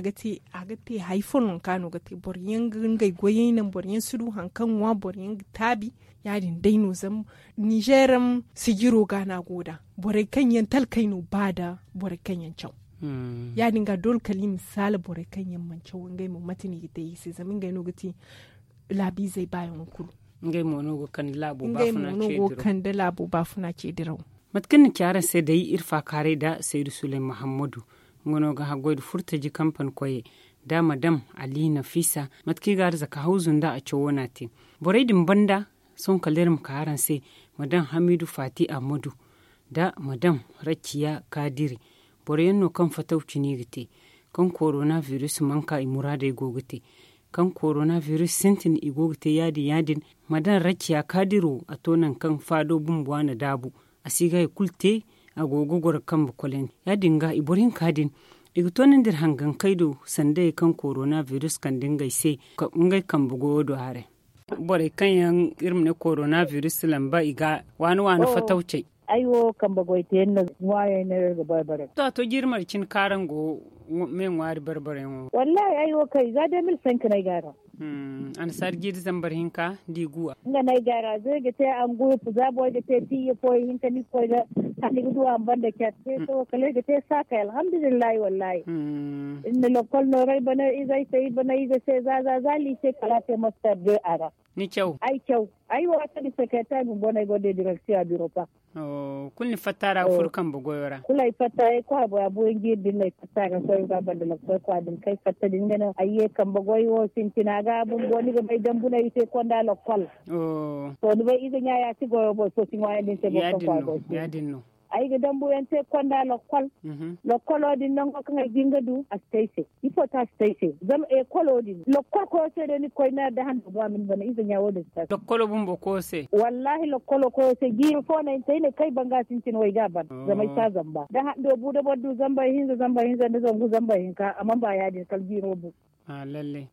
ga te hari fo nangu kaŋ a no ga te boro yaŋ ga ngey goyey naŋ boro yaŋ si du hari kaŋ ŋwa boro yaŋ ga taabi. Ya- din day no zama nizer sijiro ga no a go nd'a borey kaŋ yaŋ talkey no ba nda borey kaŋ yaŋ caw. Ya- din ga doole kala i ma saala borey kaŋ yaŋ mana caw ngey mo mate no i ga te i se zama ngey no ga ti laabiizey baayaŋo kulu. Ngey mo no go ga kande laabo baafuna ce diraw. Mate kaŋ ni ci araŋ se day iri faakaaray nda saydu suley mahammadu. Nga no ga haggoy nda furtaji kampan koyey nda madam ali nafisa mate kaŋ i ga arzaka hawzu nda a cawo no a te. Borey din banda sohõ kala iri ma ka araŋ se madam hamidu fati ahmadu nda madam rakiya kadiri. Boro yaŋ no kaŋ fataw cine i ga te kaŋ korona virus mana ka i muraadey go ga te kaŋ korona virus sintin i go ga te ya- din ya- din. Madam rakiya kadiri wo a to nangu kaŋ faado bumbo a na daabu a si ga hari kulu te. A go ga goro kambe kolandi ya- din ga i boro hinka din i ga toonandi iri hangankey do sanday kaŋ korona virus kande ngey se ngey kambe goyo do haray. Borey kaŋ yaŋ iri ma ne korona biris lamba i ga waani waani fatawcey. Ay wo kambe goy te yaŋ no ŋwaayey no iri ga bay bare. To a to jiiri mara cine kaaraŋ go me ŋwaari barbarayaŋo. Wallahi ay wo kay za de mil sank no ay ga a ra. Annasaari jiiri zambar hinka da i guwa. Nga no ay ga a ra za ay ga te angurupu za boro ga te tiiya fo ihinka ni ga koy ga, ni ga du a ma banda care te to kala ay ga te saakay alhamdulillahi wallahi. Iri na lokkol nooru ay bana izey se i bana ize se za za za liise kala a te mastar de a ra. Ni caw? Ay caw. Ay wo a kani sekretar bumbo no ay go de direksiyo a biro pa. Kulu ni fatta ra ga furo kambe goyo ra? Kulu ay fatta ay kwa bora buyanji din no ay fatta ga soy ga banda lakkol kwa din kay fatta din ga no ay ye kambe goyo wo sintina ga bumbo ni ga bay dambu no ay te konda lakkol. To ni bay ize ɲa ya si goyo boro fo si ŋwaayandi ni se boro kaŋ kwa goyo se. Ay ga dambu yaŋ te konda lakkol. Lakkolo din nango kaŋ ay ga hin ga du a si te ay se. Ifo te a si te ay se zama ekolo din lakkol koyo se day ni ga koy ne da hando bo a ma ni bana ize ɲa wo- din si te a se. Lakkolo bumbo koyo se? Wallahi lakkolo koyo se jiiri fo no ay na te ay ne kaŋ ay banga sintin wo ay ga a ban. Zama ay si a zamba da hando bu da boro du zamba ihinza zamba ihinza nda zangu zamba ihinka a mana ba ya- din kala jiiro bu.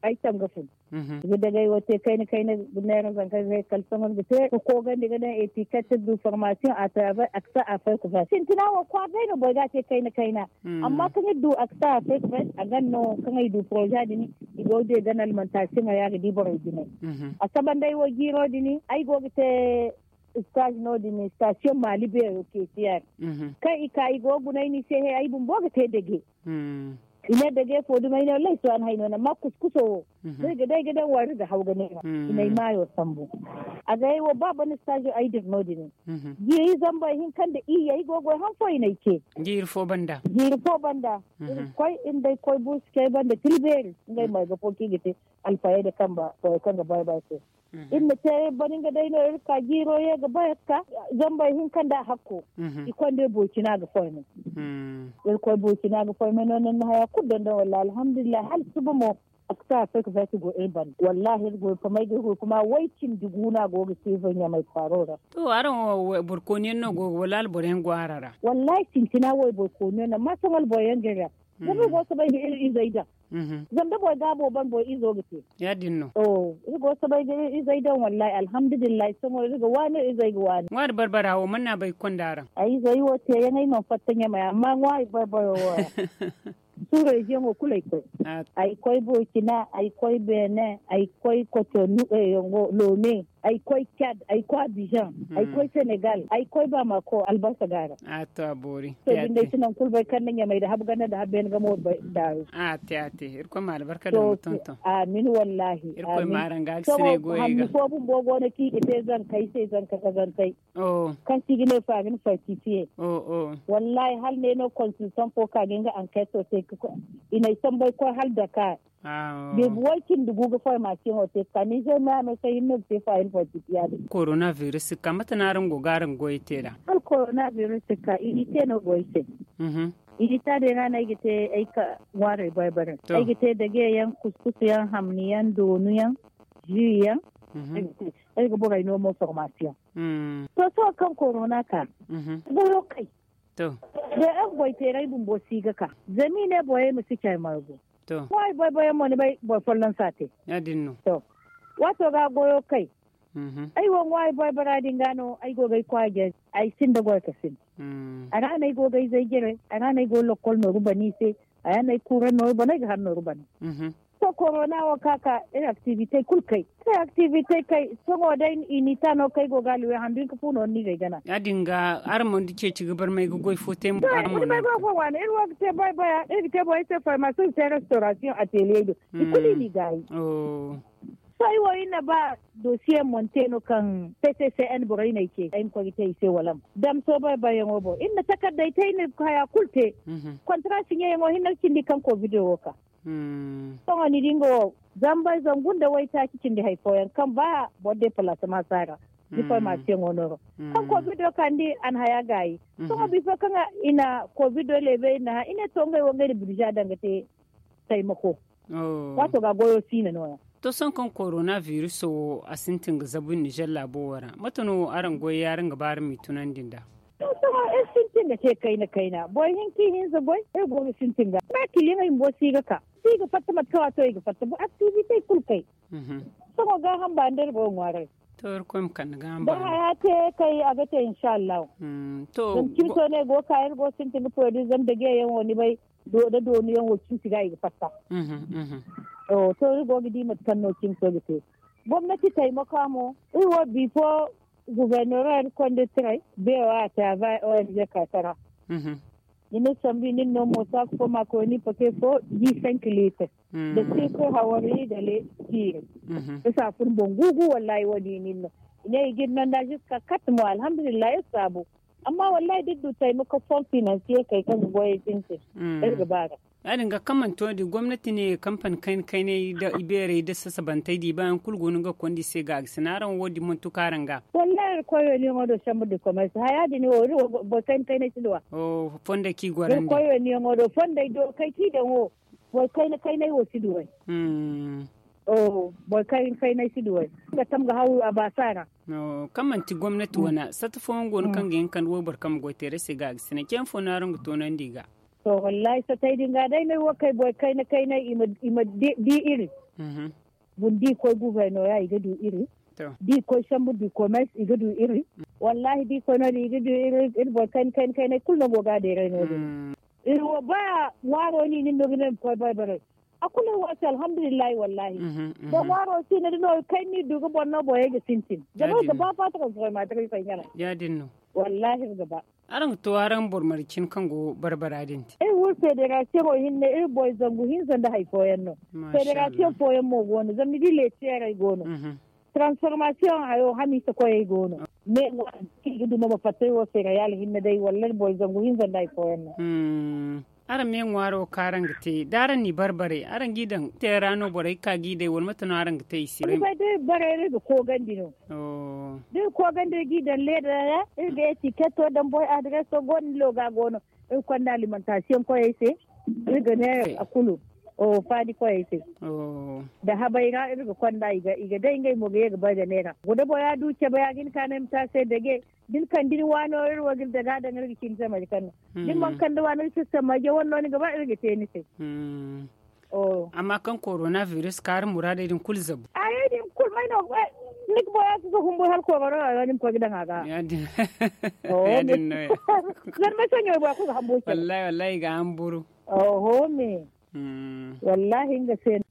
Ay tanga fun. Ga dagay wo te kayna kayna neera zanka ga kala sohõ ga te ga koogandi ga daŋ etiket du formasiyoŋ a travers aksa a fay kufa sintina wo kwaara day no boro ga a te kayna kayna. Amma kaŋ iri du aksa a fay kufa a gan no kaŋ ay du poroza din i go de gan almantasiyoŋ a ya ga di borey jinay. A sabanday wo jiiro din ay go ga te stage no- din station mali beero ketiyaŋ kaŋ i ka i go ga guna ay ni se he ay bumbo ga te dage. I ne dage fo duma ay ne wallahi si waani hay no na amma kuskuso wo da ay ga day ga daŋ wari ga haw ga neera i na ay maayo sambu. A ga ay wo ba bana stage ay dira no- din jiiri zamba ihinka nda iyye ay go ga goy han fo i na ay ce. Jiiri fo banda iri ga koy iri day koy buusu cay banda tila beeri ngey mo ay ga fo kaŋ i ga te alfayey da kamba borey kaŋ ga bay bay se. Iri na te bari nga day no iri ka jiiro ye ga bay ga ka zamba ihinka nda hakko. I konda iri burkina ga foy no. Iri koy burkina ga foy me no ni na haya kulu dondoŋ walla alhamdulillahi hala suba mo. Aksa fake fake go iri banda wallahi iri go iri famay ga iri go kuma way cindi gu no a go ga siifa ɲamay kwaaro ra. To araŋ wo boro kooni yaŋ no go ga wala alboro yaŋ go araŋ ra? Wallahi sintina wo iri boro kooni yaŋ no amma sohõ alboro yaŋ ga iri ra. Zama iri go ga soobay ga iri izey daŋ. Zama da boro gaabo ban boro izo ga te. Ya- din no. Iri go ga soobay ga iri izey daŋ wallahi alhamdulillahi sohõ iri ga waani iri izey ga waani. Ŋwaari barbara wo mana bay ga konda araŋ? Ay izey wo te yaŋ ay mana fatta ɲamay amma ŋwaari barbara wo ra. Su reziyoŋo kulu ay koy. Ay koy burkina, ay koy benin, ay koy kotonu, lome, ay koy cad, ay koy abijan, ay koy senegal, ay koy bamako albarka ga ra. To din day si naŋ kulu bay kaŋ na ɲamay da habu ganda da habu beene ga mo bay daaru. A te a te irkoy ma albarka da ma tonton. Amin wallahi. Irkoy ma araŋ ga ga sinay goyey ga. Fo bumbo go no kaŋ i ga te zankey se zanka ka zankey. Kaŋ se i ga ne farin fartitiye. Wallahi hala ne no konsiltan fo ka ga nga anketo te. I na ay sambay koy hala dakar. Beebi way cindi gu ga formasiyoŋo te ka nizer me a me se hinne ga te farin fartitiya din. Korona virus ka mate no araŋ go ga araŋ goyey te nd'a? Hala korona virus ka i te no goy se. I ta din ra no ay ga te ay ka ŋwaarey barbara ay ga te dage yaŋ kuskus yaŋ hamni yaŋ doonu yaŋ. Ji yaŋ. Ay ga borey no mo formasiyoŋ. To sohõ kaŋ korona ka goyo kay. Da ay ga goy teeray bumbo si ga ka zama i ne borey ma si care margu. Ŋwaari boyboyaŋ mo ni bay boro folloŋ si a te. To waato ga goyo kay. Ay wo ŋwaari boybora din ga no ay go ga ay kwaara jare. Ay sinda goy ka sinda. A ra no ay go ga ay zay jare a ra no ay go ga lokkol nooru bana i se. A ra no ay kuura nooru bana ay ga har nooru bana. To korona wo ka ka iri aktivite kulu kay. Iri aktivite kay sohõ day i ni ta no kay go ga luwe handu hinka fu no ni ga ay gana. Ya- din ga araŋ mana du ceeci ga barmay ga goy fo te mo araŋ mana du. Iri wo ga te boybora iri ga te borey se formasiyoŋ ga te restorasiyoŋ ateliyey do. I kulu i n'i gaayi. Sohõ ay wo iri na ba dosiye monte no kaŋ pccn borey no ay ce ay ma koy ga te i se walam. Damso boyboyaŋo boŋ iri na takardey te iri na haya kulu te. Kontra siɲeyaŋo hinne ga cindi kaŋ kovido wo ka. Sohõ ni di nga wo zamba zangu nda waytaaci cindi hari fooyaŋ kaŋ ba boro depalasama si a ra. Ni formasiyoŋo nooro kaŋ kovido ka ni di a na haya gaayi. Sohõ bifo kaŋ i na kovido leebe i na hã i ne to ngey wo ngey na birza daŋ ga te taymako. Waato ga goyo siina nooya. To sohõ kaŋ korona viruso wo a sintin ga zabu nizer laabo wo ra mate no araŋ goy yaaraŋ ga ba araŋ m'i tunandi nd'a? Sohõ iri sintin ga te kayna kayna boro hinka ihinza goy iri go ga sintin ga ba kiliyaŋey bumbo si ga ka si ga fatta mate kaŋ waato i ga fatta bo aktivitey kulu kay. Sohõ gaaham ba nda iri go ga ŋwaaray. To iri koy ma kande gaaham ba. Haya te kay a ga te inshallahu. To zama cimso no iri go ga ka iri go ga sintin ga poyri zama dageyaŋ wo ni bay. Da doonu yaŋ wo cimsi ga i ga fatta. To iri go ga di mate kaŋ no cimso ga te. Gomnati taimaka mo iri wo bifo gubernorer konditiray beewa a taaba ong katara. Ni na sambu i nin no mo saaku fo ma koy ni pake fo di cinq litre da sirkir hawari da le tiiri. Isa fun boŋ gugu wallahi wo- din i nin no i ne i ga iri nanda ziska kat mo alhamdulillahi iri saabu. Amma wallahi da iri du taimako fon finansiye kay kaŋ ga goyey sintin iri ga ba ga. Ya- din ga kaŋ manti wo- din gomnati ne kampani kayna kaynay da ibeerey da sasabantey da i ba yaŋ kulu go no nga ga konda i se ga a ga sina araŋ wo- din manti kaŋ araŋ ga. Wallahi iri koy wayniyaŋo do sambu da komersi haya din wo iri wo boro kayna kaynay si duwa. Fondey kaŋ i gorandi iri koy wayniyaŋo do fondey do kay kaŋ i daŋ wo boro kayna kaynay wo si duway. Boro kayna kaynay si duway nga tam ga haw a baasa ra. Kaŋ manti gomnati wane sata fooyaŋ go no kaŋ ga hin ga kande wayboro kaŋ ma goy teeray se ga a ga sina ceeyaŋ fo no araŋ ga toonandi i ga? To wallahi satay din ga day no ay wo kay boro kayna kaynay i ma di iri. Bun da i koy guvernora i ga du iri. Da i koy sambu du komers i ga du iri. Wallahi da i koy no- din i ga du iri iri boro kayna kaynay kulu no go ga a deeray no- din. Iri wo ba ŋwaaro no i nin no ga ne ma koy baybaray. A kulu iri wo se alhamdulillahi wallahi. Da ŋwaaro si no da no kayna no i du ga boro no borey ga sintin zama iri ga ba faata kaŋ si koy maataray fay ɲaray. Ya- din no. Wallahi iri ga ba. Araŋ ga to araŋ boro marje cine kaŋ go barbara din te. Iri wo federasiyoŋo hinne iri boro zangu hinza nda hari fooyaŋ no. Federasiyoŋ fooyaŋ mo go no zama ni di leetiyeerey go no. Taransiformasiyoŋ hayo hamiisa koyey go no. Me ŋwaari kaŋ i ga duma ma fatta iri wo feerayaali hinne day walla iri boro zangu hinza nda hari fooyaŋ no. Araŋ me ŋwaaro kaŋ araŋ ga te da araŋ n'i barbare araŋ g'i daŋ te ra no borey ga ka g'i day wala mate no araŋ ga te i se? Ni bay da iri bare iri ga koogandi no. Da iri koogandi iri g'i daŋ leeda ra iri ga etiketo daŋ boy adireso go no ni loga go no. Iri ga konda alimentasiyoŋ koyey se. Iri ga ne a kulu faadi koyey se. Da habay ra iri ga konda i ga day ngey mo ga ye ga bay ga neera guda bora du cabe ya ga ni ka no ay ma te a se dage. Da ni kande ni waano iri wo ga iri daga daŋ iri ga ci ni se marje kaŋ no. Da ni mana kande waano iri si se marje wane no ni ga ba iri ga te ni se. Amma kaŋ korona biris kaari muraadey din kulu zabu. Arey din kulu may no ni ga boya si ga humbur hala korona waano ni ma koy ga daŋ a ga. Ya- din no ya. Zama ay soɲo bora kulu ga hamburu. Wallahi wallahi i ga hamburu. Oho me. Wallahi nga se no.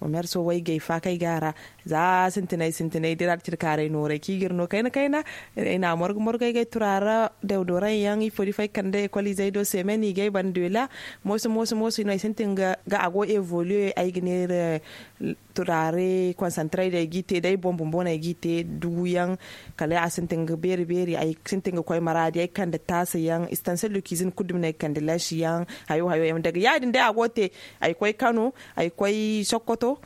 Komerso waygay faakay ga a ra. Za sintinay sintinay dira da ciri kaaray nooray kaŋ i ga iri no kayna kayna. Ay na morgu morgu ay ga ay turaara dawdoraŋ yaŋ ifo da ifo ay kande ekol izey do semen i ga ay bande dola. Mooso mooso mooso i no ay sintin ga a go evoluer ay ga neera. Turaare konsantaray day g'i te day boŋ bumbo no ay g'i te duguyaŋ. Kala a sintin ga beeri beeri ay sintin ga koy maraadi ay kande taasa yaŋ istansel du kiizin kulu dumi no ay kande laasi yaŋ. Hayo hayo yaŋ daga ya- din day a go ga te. Ay koy kano ay koy sokoto.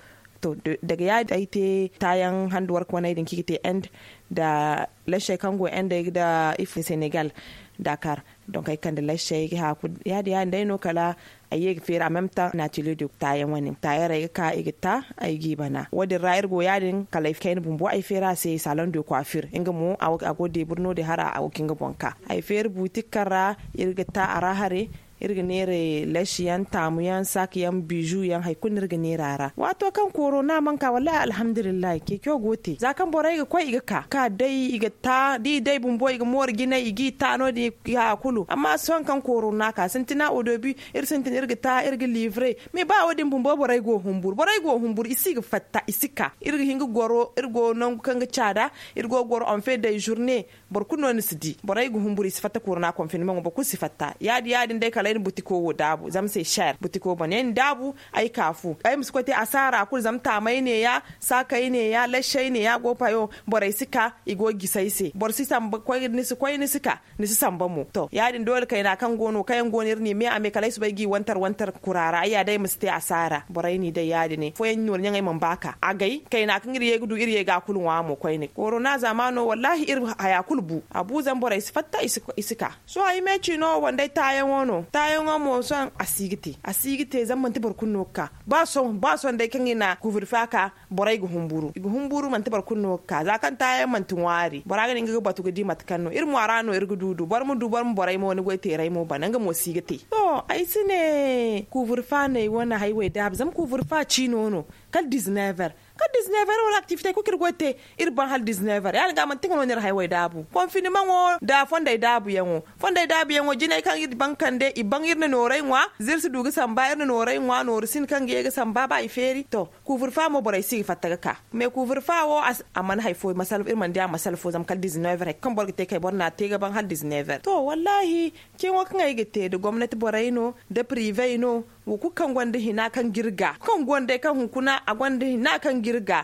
To daga ya- din ay te taayaŋ handu warka waney din kaŋ i ga te end nda laasey kaŋ go end ay ga da ifo senegal. Dakar. Donk ay kande laasey ga haaku ya- din ya- din day no kala ay ye ga feeri a même temps natelier de taayaŋ wane taayaŋ ra ay ga ka ay ga ta. Ay g'i bana wo- din ra iri go ya- din kala ay kayna bumbo ay feeri a se salon de coiffure nga mo a go ga deebur no- din hara a go ga hin ga boŋ ka. Ay feeri buutik kaŋ ra iri ga ta a ra hare. Iri ga neera laasi yaŋ taamu yaŋ saak yaŋ bizu yaŋ hari kulu no iri ga neera a ra waato kaŋ korona mana ka wallahi alhamdulillahi ceeco go te za kaŋ borey ga koy i ga ka ka day i ga ta da i day bumbo i ga mooru jinay i g'i ta no- din i ga haya kulu amma sohõ kaŋ korona ka sintina odobi. Iri sintin iri ga ta iri ga livre. Mais ba wo- din bumbo borey go ga humburu borey go ga humburu i si ga fatta i si ka iri ga hin ga goro iri go nangu kaŋ ga caada. Iri go ga goro on fait day journée. Boro kulu no ni si di borey ga humburu i si fatta korona konfinmaŋo boro kulu si fatta ya- din ya- din day kala ay na butiko wo daabu zama se share butiko bone ay na daabu. Ay ka fu ay ma si koy te asaara kulu zama taamay neeya saakey neeya laasey neeya go payo. Borey si ka i go ga gisi ay se boro si samba koy ni si koy ni si ka ni si samba mo to ya- din doole kayna kaŋ go no kaŋ yaŋ go no iri ne me a me kala ay soobay g'i wane. tarwantar kura ra ay ya day ma si te asaara borey n'i day ya- din ne fooyaŋ noori ɲaŋey mana ba ka agay kayna kaŋ iri ye ga du iri ye ga a kulu ŋwa mo koyne korona zaamaano wallaahi iri haya kulu bu a bu zama borey si fatta i si ka sohõ ay me ciino wo day taayaŋo no taayaŋo mo sohõ a si ga te a si ga te zama manti boro kulu no ga ka ba sohõ day kaŋ i na kuuburfa ka borey ga humburu i ga humburu manti boro kulu no ga ka za kaŋ taayaŋ manti ŋwaari bora ga ne nga ga batu ga di mate kaŋ no iri mo a ra no iri ga du du boro ma du boro ma borey mo ni goy teerey mo bana nga mo si ga te to ay si ne kuuburfa no ay wane haywey daabu zama kuuburfa ciino no kala dizineever kala dizineever wala aktivite kulu kaŋ iri goy te iri ban hala dizineever ya- din ga manti nga no no iri haywey daabu konfinimaŋo nda fondey daabuyaŋo fondey daabuyaŋo jinay kaŋ iri ban kande i ban iri na noorey ŋwa za iri si du ga samba iri na noorey ŋwa nooru si no kaŋ ga ye ga samba ba i feeri to kuuburfa mo borey si ga fatta ga ka me kuuburfa wo a mana hari fo iri mana di a masala fo zama kala dizineever hari kulu kaŋ boro ga te kay boro na a te ga ban hala dizineever to wallaahi ceeyaŋo kaŋ ay ga te nda gomnati borey no nda pirive no wo kulu kaŋ gonda hina kaŋ ga iri ga kaŋ gonda ay kaŋ hunkuna a gonda hina kaŋ ga iri ga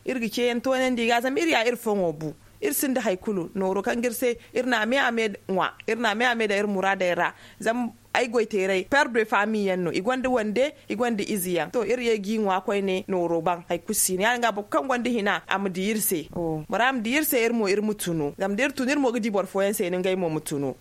iri ga ceeyaŋ toonandi i ga zama iri ya iri foŋo bu iri sinda hari kulu nooro kaŋ ga iri se iri na a me a me ŋwa iri na a me a me daŋ iri muraadey ra zama ay goy teerey per de faami yaŋ no i gonda wande i gonda ize yaŋ to iri ye ga i ŋwa koyne nooro ban hari kulu si no ya- din ga boro kulu kaŋ gonda hina a ma di iri se bora ma di iri se iri mo iri ma tunu zama da iri tunu iri mo ga di boro fooyaŋ se no ngey mo ma tunu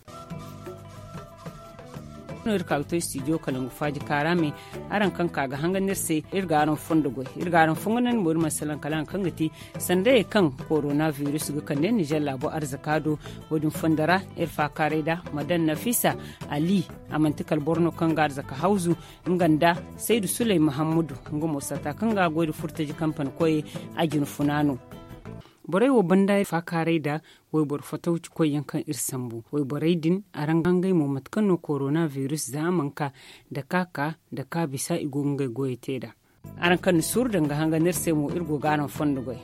no iri ka ga to studio kalangu faaji kaara me araŋ kaŋ ka ga hangan iri se iri ga araŋ fondo goy iri ga araŋ fongonandi mo iri mana salaŋ kala araŋ kaŋ ga ti sandayey kaŋ korona virus ga kande nizer laabo arzaka do wo- din fondo ra iri faakaaray da madan nafisa ali a manti kala boro no kaŋ ga arzaka hawzu nga nda saydu suley mahammadu nga mo sata kaŋ ga goy nda furtaji kampani koyey a jina funa no borey wo banda faakaaray nda wayboro fatawci koyyaŋ kaŋ iri sambu wayborey din araŋ ga ngey mo mate kaŋ no korona virus za a mana ka nda ka ka nda ka bisa i go ga ngey goyey te nd'a araŋ kaŋ na suuru daŋ ga hangan iri se mo iri go ga araŋ fondo goy